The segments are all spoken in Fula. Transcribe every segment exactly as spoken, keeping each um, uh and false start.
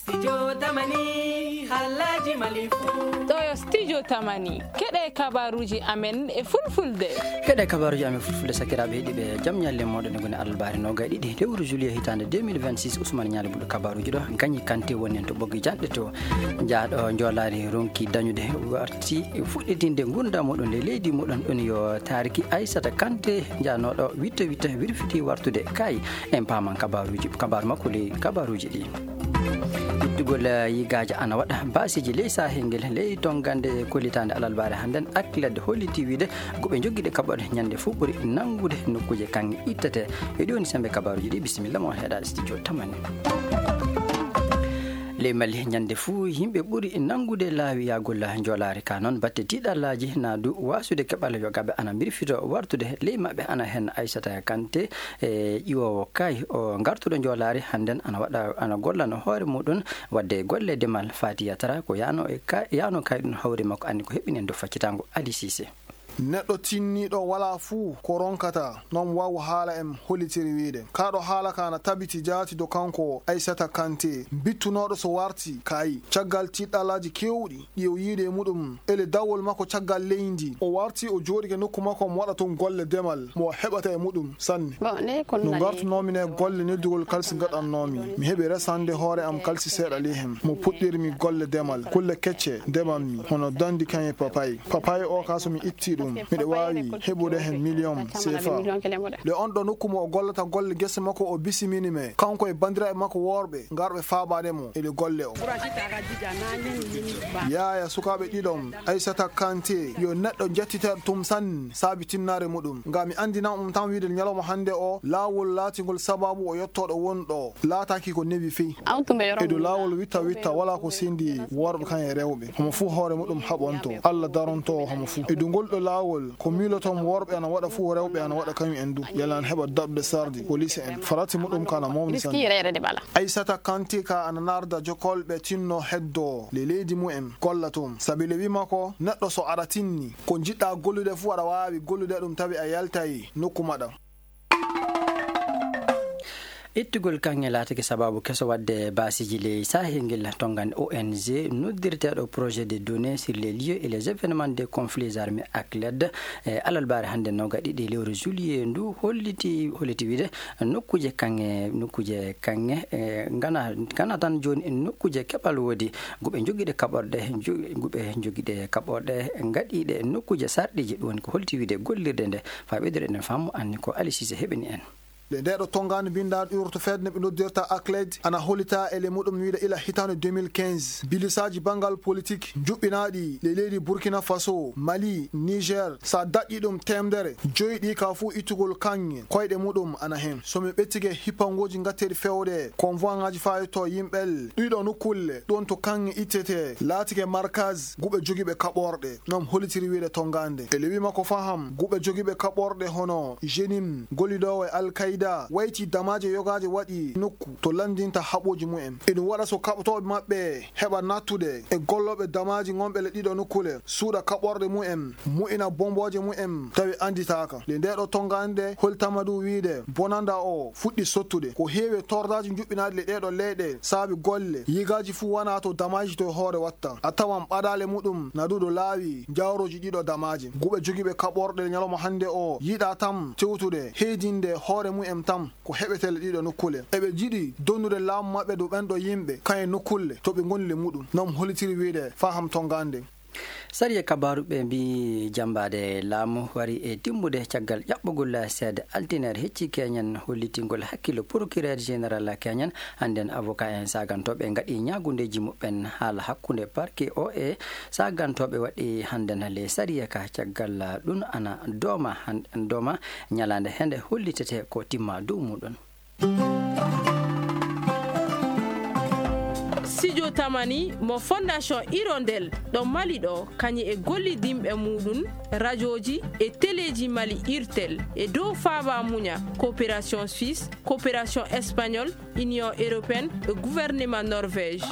Studio Tamani, halaji malifu. Ɗo yo Studio Tamani, keɗe kabaruji amen e fulfulde. Keɗe kabaruji amen fulfulde, sakiraaɓe heɗiiɓe, jam ñalle moɗon, ngoni alarbaare noogaye ɗiɗi lewru juillet hitaande deux mille vingt-six. Ousmane Ñaali Buɗo kabaruji ɗo, Gañi Kante woni en to ɓoggi janɗe to. Jaaɗo njoolaari ronki dañude warti fuɗɗitinde ngurndan muɗum ley leydi muɗum, ɗum yo taariki Aissata Kante, jaanooɗo witte witte wirfiti wartude kay. En paaman kabaruji, kabaru makko ley kabaruji ɗi. Ittugol, eh, yigaaji ana waɗa baasiji ley sahel ngel, ley tongande kollitaande alarbaare hannden, Akiled holliti wiide guɓe jogiiɗe kaɓorɗe ñande fuu ɓuri nanngude nokkuuje kaŋŋe ittete. E ɗi woni semmbe kabaruji ɗi, bisimilla mo heɗaade studio Tamani. Ley Mali, ñande fuu yimɓe ɓuri nanngude laawi yahgol njoolaari ka. Noon batte tiiɗallaaji na du waasude keɓal yogaɓe ana mbirfito wartude. Ley maɓɓe ana heen Aissata Kante, e ƴiwoowo kay o ngartuɗo njoolaari hannden ana waɗa, ana gollano hoore muɗum waɗde golle demal. Fati Yatara ko yano e ka-, yano kay ɗum hawri makko anndi ko heɓɓinen dow faccitango Ali Cissé. Neɗɗo tinniiɗo walaa fuu ko ronkata, noon waawu haala en hollitiri wiide. Kaa ɗo haala ka na tabiti jaati dow kanko Aissata Kante, bittunooɗo so warti kay caggal tiiɗɗalaaji keewɗi ɗi o yiide e muɗum, ele dawol makko caggal leydi. O warti, o jooɗike nokku makko, mo waɗa toon golle demal, mo heɓata e muɗum sanne. No ngartunoomi ne golle neddugol kalsi ngaɗannoomi. Mi heɓi resande hoore am kalsi seeɗa ley heen. Mo puɗɗirmi golle demal, kulle kecce ndemanmi, hono dandi kaŋŋe papay. Papay o ka so mi itti ɗum, miɗo waawi heɓude heen miliyoŋ seefa. Nde on ɗo nokku mo o gollata golle gese makko, o bisimini me, kanko e banndiraaɓe makko worɓe, ngarɓe faabaade mo ele golle o. Yaaya sukaaɓe ɗiɗon, Aissata Kante, yo neɗɗo jettiteeɗo tum sanne saabi tinnaare muɗum. Ngam mi anndina on tan wiide ñalawma hannde o, laawol laatingol sabaabu o yottooɗo won ɗo, laataaki ko newi fey. E dow laawol witta witta, walaa ko sendi worɓe kan e rewɓe. Homo fuu hoore muɗum haɓonto. Allah daronto homo fuu. E dow ngol ɗo laawol, ko miiloton worɓe ana waɗa fuu, rewɓe ana waɗa kañum en du. Yalla ana heɓa daɗude sardi, police en. Farati muɗum ka ana mawni sanne. Aissata Kante ka ana narda jokolɓe tinno heddo le leydi mu'en golla toon. Sabi le wi makko, neɗɗo so aɗa tinni, ko njiɗɗa gollude fuu aɗa waawi gollude ɗum tawi a yaltay nokku maɗa. Ittugol kaŋŋe laatake sabaabu keso waɗde baasiiji ley sahel ngel. Tongande O N G noddirteeɗo Projet de Données sur les lieux et les événements de conflits armés, Akiled, e alarbaare hannde noogaye ɗiɗi lewru juillet ndu holliti, holliti wiide nokkuuje kaŋŋe, nokkuuje kaŋŋe, e, ngana, ngana tan jooni nokkuuje keɓal woodi guɓe jogiiɗe kaɓorɗe, jo-, guɓe jogiiɗe kaɓorɗe ngaɗiiɗe nokkuuje sarɗiiji. Ɗum woni ko holliti wiide gollirde nde. Faa ɓeydude en faamu, anni ko Ali Cissé heɓini en. Nde ndeeɗo tonngaande binndaaɗo urto fedde ɓe noddirta Akiled ana hollita e le muɗum wiide ila hitaande deux mille quinze, bilisaaji banngal politik njuɓɓinaaɗi le leydi Burkina Faso, Mali, Niger, so a daɗɗi ɗum teemedere, joyi ɗi ka fuu ittugol kaŋŋe koyɗe muɗum ana heen. So mi ɓettike hippangooji ngatteeɗi fewde, convoiŋaaji fayto yimɓel, ɗiɗo nokkulle ɗoon to kaŋŋe ittete, laatike markaz guɓe jogiiɓe kaɓorɗe. Noon hollitiri wiide tonngaande. E le wi makko faham, guɓe jogiiɓe kaɓorɗe hono Jenim, gollidoowo e Al Qaeda, wayti damaaje yogaaje waɗi nokku to lanndinta haɓooji mumen. Eɗum waɗa so kaɓotooɓe maɓɓe heɓa nattude e gollooɓe damaaji ngonɓe le ɗiɗo nokkule, suuɗa kaɓorɗe mumen, mo'ina bombooje mumen, tawi annditaaka. Nde ndeeɗo tonngaande hollitama du wiide bonanda o fuɗɗi sottude. Ko heewi e tordaaji njuɓɓinaaɗi le ɗeeɗo leyɗe saabi golle, yigaaji fuu wana to damaaji to hoore watta. A tawan ɓadaale muɗum na du ɗo laawi jawrooji ɗiɗo damaaji. Guɓe jogiiɓe kaɓorɗe ñalawma hannde o yiɗa tan tewtude, heedinde hoore mumen tan ko heɓetee le ɗiɗo nokkule. Eɓe jiɗi donnude laamu maɓɓe dow ɓen ɗo yimɓe, kañe nokkulle to ɓe ngoni le muɗum. Noon hollitiri wiide faham tonngaande. Sariya kabaaru ɓe mbi jammbaade laamu wari e timmude caggal ƴaɓɓugol seede altine hecci keñen hollitingol hakkillo procureur général keñen. Hannden avocat en sagantooɓe ngaɗi ñaagundeeji muɓɓen haala hakkunde parquet o e sagantooɓe waɗi hannden le sariya ka caggal ɗum ana dooma han-, dooma ñalaande hende hollitete ko timma dow muɗum. Studio Tamani mo Fondation Hirondelle ɗo Mali ɗo, kañum e gollidinɓe muɗum, rajooji e teleeji Mali, Irtel, e dow faaba muña, coopération suisse, coopération espagnole, Union européenne e gouvernement Norvège.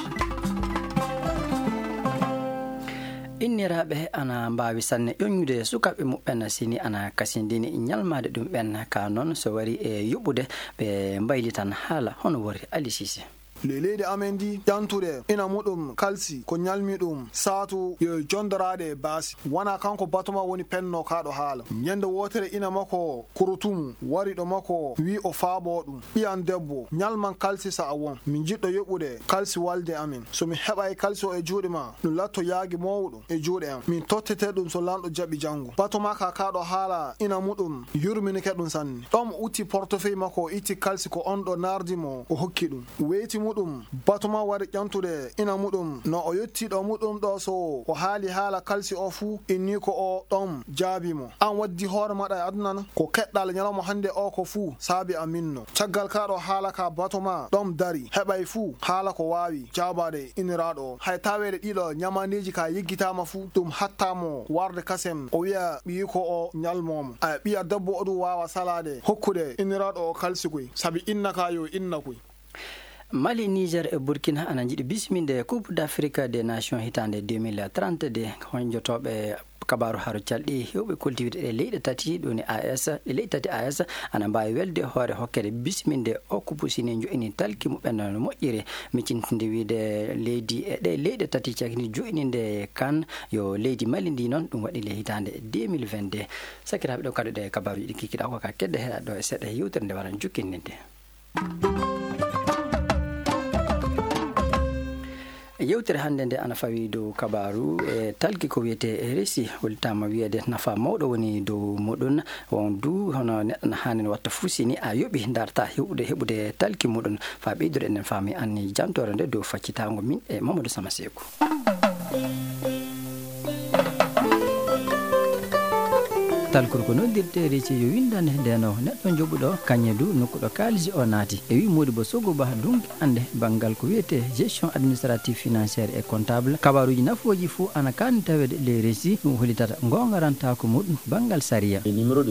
Inniraaɓe ana mbaawi sanne ƴoññude sukaaɓe muɓɓen si ni ana kasindini ñalmaade ɗum ɓen. Ka noon, so wari e yuɓɓude, ɓe mbaylitan haala hono wori. Ali Cissé. Ley leydi amen ndi, ƴantude ina muɗum kalsi ko ñalmi ɗum saatu yo jondoraade e baasi. Wonaa kanko Batoma woni pennoo kaa ɗoo haala. Ñande wootere ina makko kurutumu wari ɗo makko, wi'i o faaboo ɗum. Ɓiyam debbo, ñalman kalsi so a won. Mi jiɗɗo yoɓude kalsi walde amen. So mi heɓaay kalsi o e juuɗe maa, ɗum latto yaagi mawɗo e juuɗe am. Min tottete ɗum so lanɗo jaɓi janngo. Batoma ka kaa ɗoo haala ina muɗum yurminike ɗum sanne. Ɗoon o utti portefeuille makko, o itti kalsi ko oon ɗo naardi mo, o hokki ɗum. Weyti muɗum, Batoma wari ƴantude ina muɗum. No o yotti ɗo muɗum ɗo, so o haali haala kalsi o fuu, inni ko o ɗoon jaabi mo. Aan waddi hoore maɗa e aduna na? Ko keɗɗal ñalawma hannde o ko fuu saabi a minno. Caggal kaa ɗoo haala ka Batoma ɗoon dari, heɓay fuu haala ko waawi jaabaade iniraaɗo o. Hay taweede ɗiɗo ñamaandeeji ka yeggitaama fuu, ɗum hatta mo warde kasem o wi'a ɓiyiiko o ñalmoo mo. Ay, ɓiya debbo o ɗum waawa salaade hokkude iniraaɗo o kalsi koy, sabi inna ka yo inna koy. Mali, Niger e Burkina ana njiɗi bisminde Coupe d'Afrique des Nations hitaande deux mille trente-deux. Honjotooɓe kabaaru haro calɗi heewɓe koltiwde ɗe leyɗe tati, ɗum woni A S, ɗe leyɗe tati A S, ana mbaawi welde hoore hokkere bisminde o kupu sini jo'ini talki muɓɓen no moƴƴiri. Miccintinde wiide leydi e ɗe leyɗe tati cakni jo'ininde kan yo leydi Mali ndi noon, ɗum waɗi le hitaande deux mille vingt-deux. Sakiraaɓe, ɗo kaɗuɗe kabaaruuji ɗi kikiɗa ko ka kedde heɗa ɗo e seɗɗa yewtere nde waran jukkindinde. Yewtere hannde nde ana fawi dow kabaaru e talki ko wiyetee R S I, hollitaama wiyeede nafa mawɗo woni dow muɗum. Won du hono neɗɗo na haani watta fuu si ni a yoɓi ndarta heɓude, heɓude talki muɗum. Faa ɓeydude enen faami anni jantoore nde dow faccitaango min e Mamadou Sama Seeku. Talkuru ko noddirtee R S I yo winndande ndeno neɗɗo joɓuɗo kañe du nokku ɗo kaalisi o naati. E wi Modibo Sogo Ba dunki annde banngal ko wiyetee gestion administrative, financière et comptable. Kabaaruuji nafooji fuu ana kaani taweede le R S I, ɗum hollitata ngoongarantaako muɗum banngal sariya. Nimoro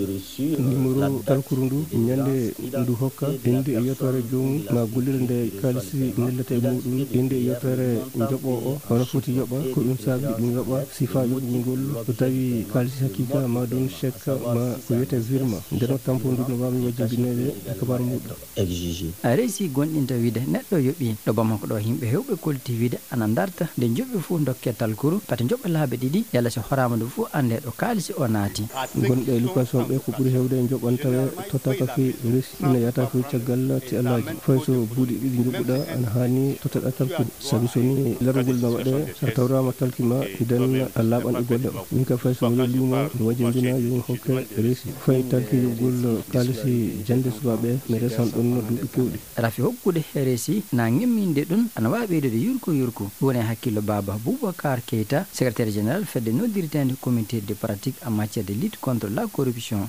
talkuru ndu, ñande ndu hokka, innde e yettoore joomum, ma gollirde nde kaalisi nellata e muɗum, innde e yettoore joɓoowo o, hono foti yoɓa, ko ɗum saabi ɗum yoɓa, sifaa yoɓugol ngol, so tawi kaalisi hakiika ma ɗum chèque ma ko wiyetee virement. Nden o tampo ndu no waawi wajjindineede e kabaaru muɗum. Exigé. R S I gonɗinta wiide neɗɗo yoɓi. Ɗo Bamako ɗo yimɓe heewɓe kolti wiide ana ndarta nde joɓi fuu dokke talkuru, pati joɓa laabi ɗiɗi, yalla si horaama ndu fuu annde ɗo kaalisi o naati. Gonɓe e location ɓe ko ɓuri heewde joɓan tawe tottaaka fii R S I ina yata fuu caggal ti'alaaji. Fay so buuɗi ɗiɗi joɓuɗa ana haani tottaɗa talkuru. Sabi so ni larugol na waɗe, so a tawraama talki ma, nden a laaɓan e golle o. Min ka fay so miɗo luumo, mi wajjindina yo mi hokke R S I. Fay talki yoɓugol kaalisi jannde subaaɓe, mi resan ɗon duuɓi keewɗi. Rafi hokkude R S I na ngemminde ɗum, ana waawi ɓeydude yurko yurko. Ɗum woni e hakkillo Baaba Boubacar Keita, secrétaire général fedde noddirteende comité de pratique en matière de lutte contre la corruption.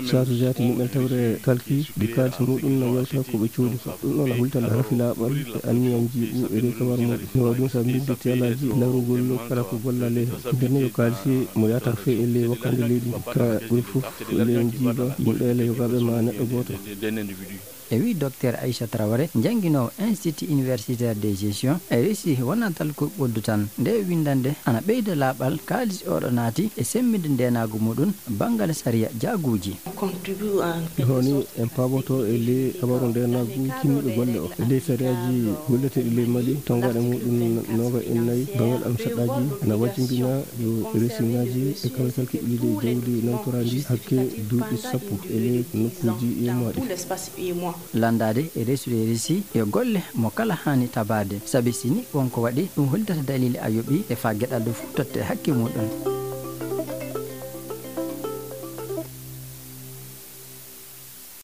Saatu jaati yimɓe tawre talki ɗi kaalisi muɗum na yewta ko ɓe coodi ko. Ɗum ɗon a hultan rafi laaɓal e anniya njiiɓu e rewtawaar muɗum. No waɗi ɗum sabi mbinde tiyalaaji larugol kala ko gollale. Nder ne yo kaalisi mo yata fee e ley wakkande leydi ka ɓuri fof ley njiiba yimɓe ele yogaaɓe ma neɗɗo gooto. E wi Docteur Aïcha Traoré, jannginoowo Institut Universitaire de Gestion, R S I wonaa talkuru ɓoldu tan. Nde winndannde ana ɓeyda laaɓal kaalis oɗo naati e semmbinde ndeenaagu muɗum banngal sariya jaaguuji. Ɗum woni en paaboto e ley habaru ndeenaagu kinnuɗo golle o. E ley sariyaaji golleteeɗi ley Mali, tonngaaɗe muɗum nooga e nayi banngal am saɗɗaaji na wajjindina yo resiŋaaji e kawtal keɓliiɗe jawdi nawtoraandi hakke duuɓi sappo e ley nokkuuji yemmaɗi. Lanndaade e resude R S I yo golle mo kala haani tabaade, sabi si ni won ko waɗi, ɗum hollitata daliili a yoɓi e faa geɗal ɗum fof totte hakke muɗum.